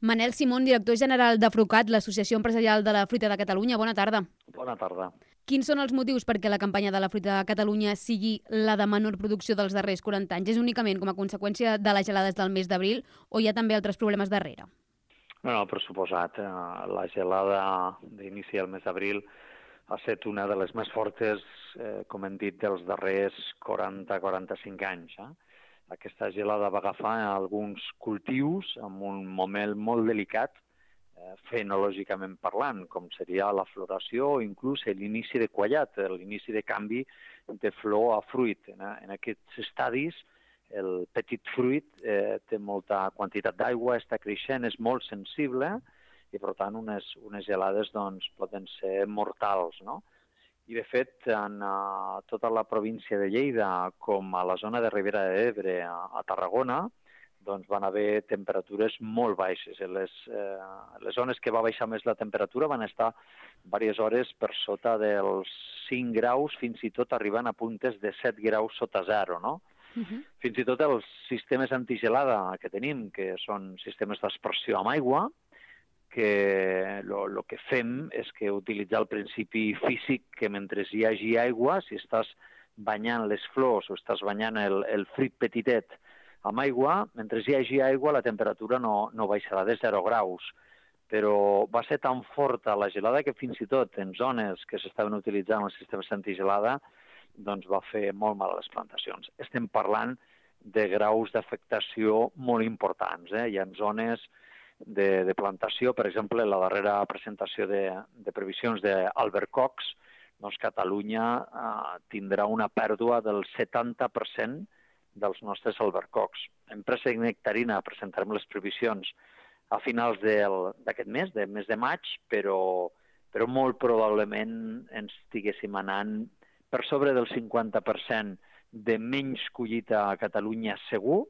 Manel Simón, director general de Frucat, l'Associació Empresarial de la Fruita de Catalunya. Bona tarda. Bona tarda. Quins són els motius perquè la campanya de la Fruita de Catalunya sigui la de menor producció dels darrers 40 anys? És únicament com a conseqüència de les gelades del mes d'abril o hi ha també altres problemes darrere? Bueno, per suposat, la gelada d'inici del mes d'abril ha estat una de les més fortes, com hem dit, dels darrers 40-45 anys. Aquesta gelada va agafar alguns cultius en un moment molt delicat, fenològicament parlant, com seria la floració o inclús l'inici de quallat, l'inici de canvi de flor a fruit. En aquests estadis, el petit fruit té molta quantitat d'aigua, està creixent, és molt sensible i, per tant, unes gelades doncs, poden ser mortals, no? I, de fet, en tota la província de Lleida, com a la zona de Ribera d'Ebre, a Tarragona, doncs van haver temperatures molt baixes. Les zones que va baixar més la temperatura van estar diverses hores per sota dels 5 graus, fins i tot arribant a puntes de 7 graus sota zero, no? Fins i tot els sistemes antigelada que tenim, que són sistemes d'aspersió amb aigua, que el que fem és que utilitzar el principi físic que mentre hi hagi aigua, si estàs banyant les flors o estàs banyant el fruit petitet amb aigua, mentre hi hagi aigua la temperatura no baixarà de 0 graus. Però va ser tan forta la gelada que fins i tot en zones que s'estaven utilitzant els sistemes antigelada doncs va fer molt mal a les plantacions. Estem parlant de graus d'afectació molt importants. Hi ha zones de plantació, per exemple, la darrera presentació de previsions d'Albert Cox, doncs Catalunya tindrà una pèrdua del 70% dels nostres albercocs. En préssec nectarina presentarem les previsions a finals d'aquest mes, del mes de maig, però molt probablement ens estiguéssim anant per sobre del 50% de menys collita a Catalunya segur.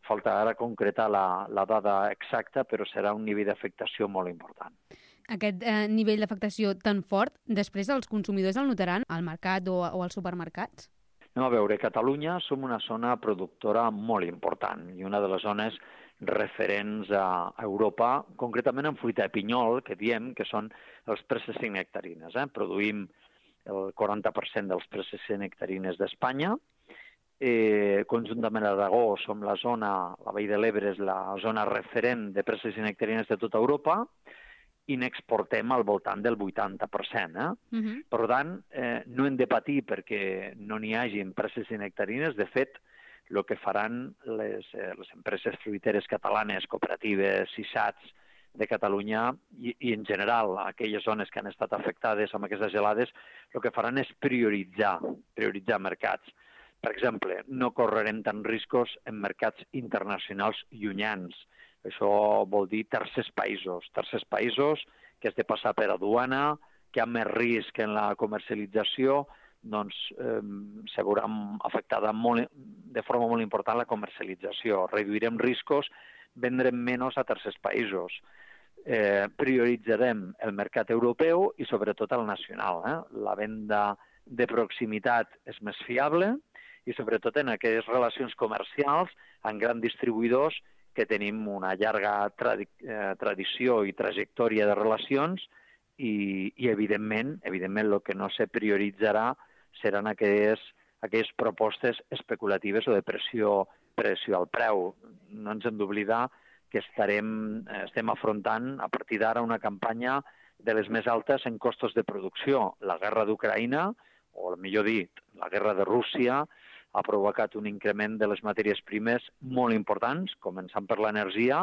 Falta ara concretar la dada exacta, però serà un nivell d'afectació molt important. Aquest nivell d'afectació tan fort, després els consumidors el notaran al mercat o als supermercats? Anem a veure, a Catalunya som una zona productora molt important i una de les zones referents a Europa, concretament en fruita de pinyol, que diem que són els presses i nectarines. Produïm el 40% dels presses i nectarines d'Espanya. Conjuntament a Aragó som la Vall de l'Ebre és la zona referent de presses i nectarines de tota Europa i n'exportem al voltant del 80%. Per tant, no hem de patir perquè no n'hi hagin presses i nectarines. De fet, el que faran les empreses fruiteres catalanes, cooperatives, SISATs de Catalunya i en general aquelles zones que han estat afectades amb aquestes gelades, el que faran és prioritzar mercats. Per exemple, no correrem tant riscos en mercats internacionals llunyans. Això vol dir tercers països que has de passar per aduana, que hi ha més risc en la comercialització, doncs se veurà afectada de forma molt important la comercialització. Reduirem riscos, vendrem menys a tercers països. Prioritzarem el mercat europeu i sobretot el nacional. La venda de proximitat és més fiable, i sobretot en aquelles relacions comercials amb grans distribuïdors que tenim una llarga tradició i trajectòria de relacions i evidentment, el que no se prioritzarà seran aquelles propostes especulatives o de pressió al preu. No ens hem d'oblidar que estem afrontant a partir d'ara una campanya de les més altes en costos de producció. La guerra d'Ucraïna, o millor dit, la guerra de Rússia, ha provocat un increment de les matèries primes molt importants, començant per l'energia.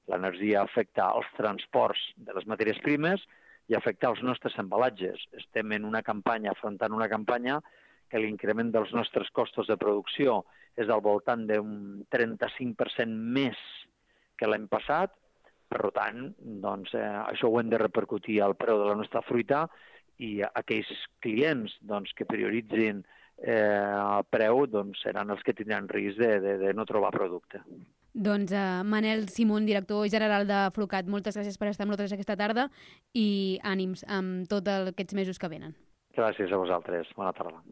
L'energia afecta els transports de les matèries primes i afecta els nostres embalatges. Estem afrontant una campanya que l'increment dels nostres costos de producció és al voltant d'un 35% més que l'any passat. Per tant, doncs, això ho hem de repercutir al preu de la nostra fruita i aquells clients que prioritzin el preu seran els que tindran risc de no trobar producte. Doncs Manel Simón, director general de Frucat, moltes gràcies per estar amb nosaltres aquesta tarda i ànims amb tots aquests mesos que venen. Gràcies a vosaltres. Bona tarda.